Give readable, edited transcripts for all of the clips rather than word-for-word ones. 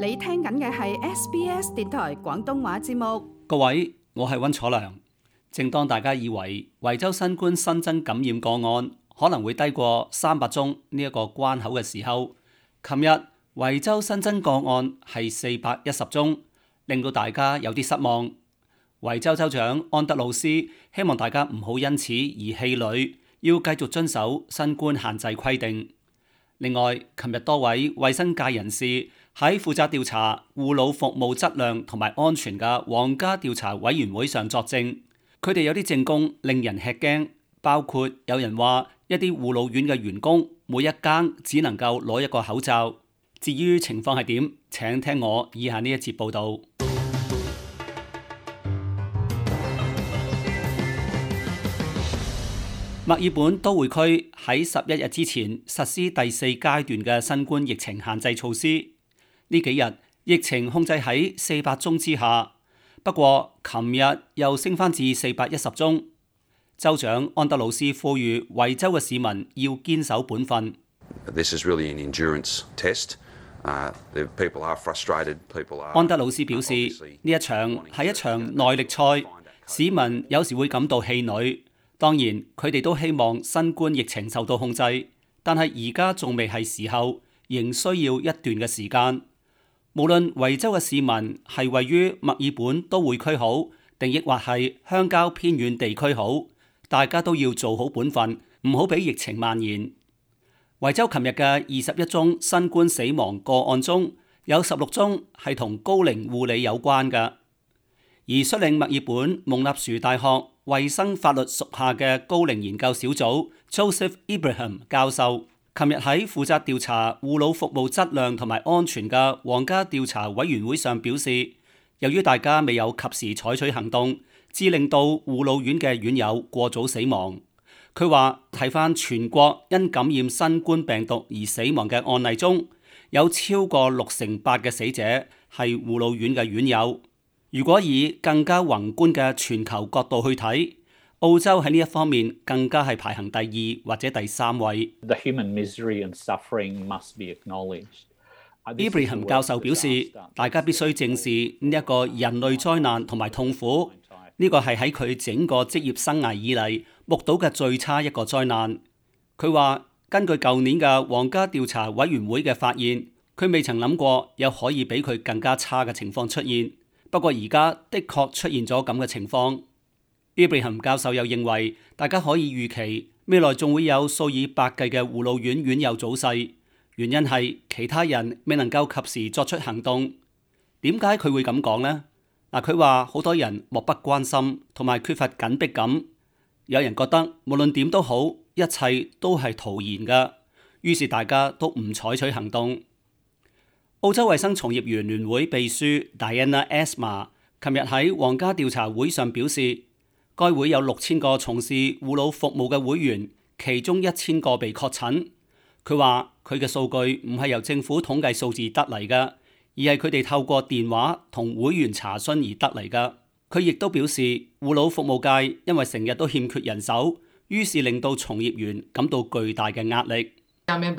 你聽緊嘅係 SBS 電台廣東話節目。各位，我係溫楚良。正當大家以為維州新冠新增感染個案可能會低過300宗呢一個關口嘅時候，琴日維州新增個案係410宗，令到大家有啲失望。維州州長安德魯斯希望大家唔好因此而氣餒，要繼續遵守新冠限制規定。另外，琴日多位衛生界人士喺負責調查護老服務質量同埋安全嘅皇家調查委員會上作證，佢哋有啲證供令人吃驚，包括有人話一啲護老院嘅員工每一間只能夠攞一個口罩。至於情況係點，請聽我以下呢一節報導。墨爾本都會區喺11日之前實施第4階段嘅新冠疫情限制措施。呢幾日疫情控制喺400宗之下，不過琴日又升返至410宗。州長安德魯斯呼籲維州嘅市民要堅守本分。This is really an endurance test. People are frustrated. People are. 安德魯斯表示，呢一場係一場耐力賽，市民有時會感到氣餒。當然，佢哋都希望新冠疫情受到控制，但係而家仲未係時候，仍需要一段嘅時間。無論維州嘅市民係位於墨爾本都會區好，定抑或係鄉郊偏遠地區好，大家都要做好本分，唔好俾疫情蔓延。維州琴日嘅21宗新冠死亡個案中，有16宗係同高齡護理有關嘅。而率領墨爾本蒙納殊大學衛生法律屬下嘅高齡研究小組 Joseph Ibrahim 教授，琴日喺負責調查護老服務質量同埋安全嘅皇家調查委員會上表示，由於大家未有及時採取行動，致令到護老院嘅院友過早死亡。佢話睇返全國因感染新冠病毒而死亡嘅案例中，有超過68%嘅死者係護老院嘅院友。如果以更加宏觀嘅全球角度去睇，澳洲喺呢一方面更加係排行第2或者第3位。The human misery and suffering must be acknowledged. Ibrahim 教授表示，大家必須正視呢一個人類災難同埋痛苦。呢個係喺佢整個職業生涯以嚟目睹嘅最差一個災難。佢話根據舊年嘅皇家調查委員會嘅發現，佢未曾諗過有可以比佢更加差嘅情況出現。不過而家的確出現咗咁嘅情況。Ibrahim 教授又認為，大家可以預期未來仲會有數以百計嘅護老院院友早逝，原因係其他人未能夠及時作出行動。點解佢會咁講呢？佢話好多人漠不關心同埋缺乏緊迫感，有人覺得無論點都好，一切都係徒然㗎，於是大家都唔採取行動。澳洲衛生從業員聯會秘書 Diana Esma 琴日喺皇家調查會上表示，該會有6000個從事護老服務嘅會員，其中1000個被確診。佢話佢嘅數據唔係由政府統計數字得嚟㗎，而係佢哋透過電話同會員查詢而得嚟㗎。佢亦都表示，護老服務界因為成日都欠缺人手，於是令到從業員感到巨大嘅壓力。Esma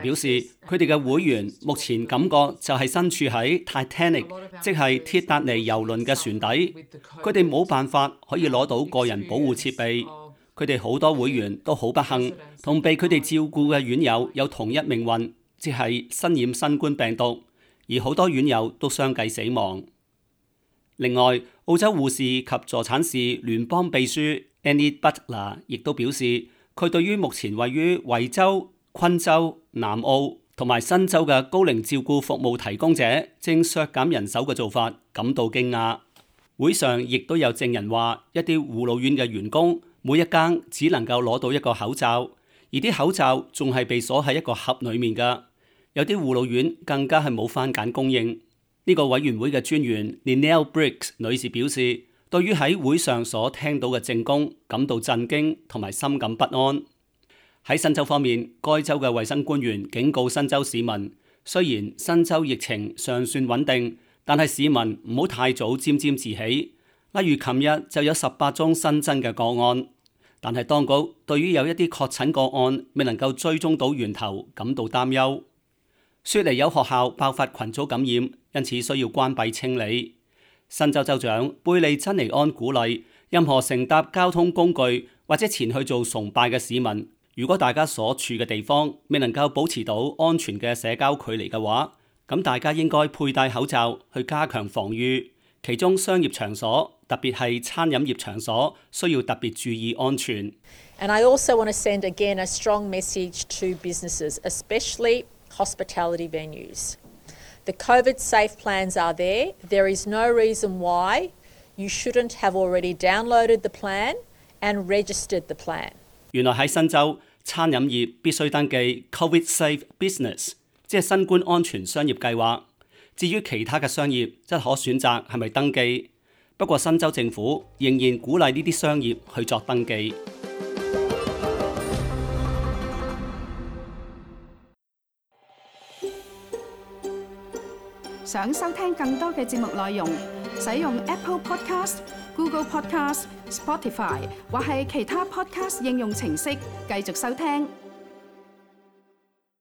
表示，佢哋嘅會員目前感覺就係身處喺 Titanic， 即係鐵達尼郵輪嘅船底，佢哋冇辦法可以攞到個人保護設備。佢哋好多會員都好不幸，同被佢哋照顧嘅院友有同一命運，即係身染新冠病毒，而好多院友都相繼死亡。另外，澳洲護士及助產士聯邦秘書 Annie Butler 亦都表示，佢對於目前位於維州、昆州、南澳同埋新州嘅高齡照顧服務提供者正削減人手嘅做法感到驚訝。會上亦都有證人話，一啲護老院嘅員工每一間只能夠攞到一個口罩，而啲口罩仲係被鎖喺一個盒裡面㗎。有啲護老院更加係冇番梘供應。呢個委員會嘅專員 Linnell Briggs 女士表示，對於喺會上所聽到嘅證供感到震驚同埋深感不安。喺新州方面，該州嘅衛生官員警告新州市民，雖然新州疫情尚算穩定，但係市民唔好太早沾沾自喜。例如琴日就有18宗新增嘅個案。但係當局對於有一啲確診個案未能夠追蹤到源頭感到擔憂。雪梨有學校爆發群組感染，因此需要關閉清理。新州州長貝利珍尼安鼓勵任何乘搭交通工具或者前去做崇拜嘅市民，如果大家所處嘅地方未能夠保持到安全嘅社交距離嘅話，咁大家應該佩戴口罩去加強防禦。其中商業場所，特別係餐飲業場所，需要特別注意安全。And I also want to send again a strong message to businesses, especially hospitality venues. The COVID safe plans are there. There is no reason why you shouldn't have already downloaded the plan and registered the plan. 原來喺新州，餐飲業必須登記 COVID safe business， 即係新冠安全商業計劃。至於其他嘅商業，則可選擇係咪登記。不過新州政府仍然鼓勵呢啲商業去作登記。想收聽更多嘅節目內容，使用 Apple Podcast、Google Podcast、Spotify 或係其他 Podcast 應用程式繼續收聽。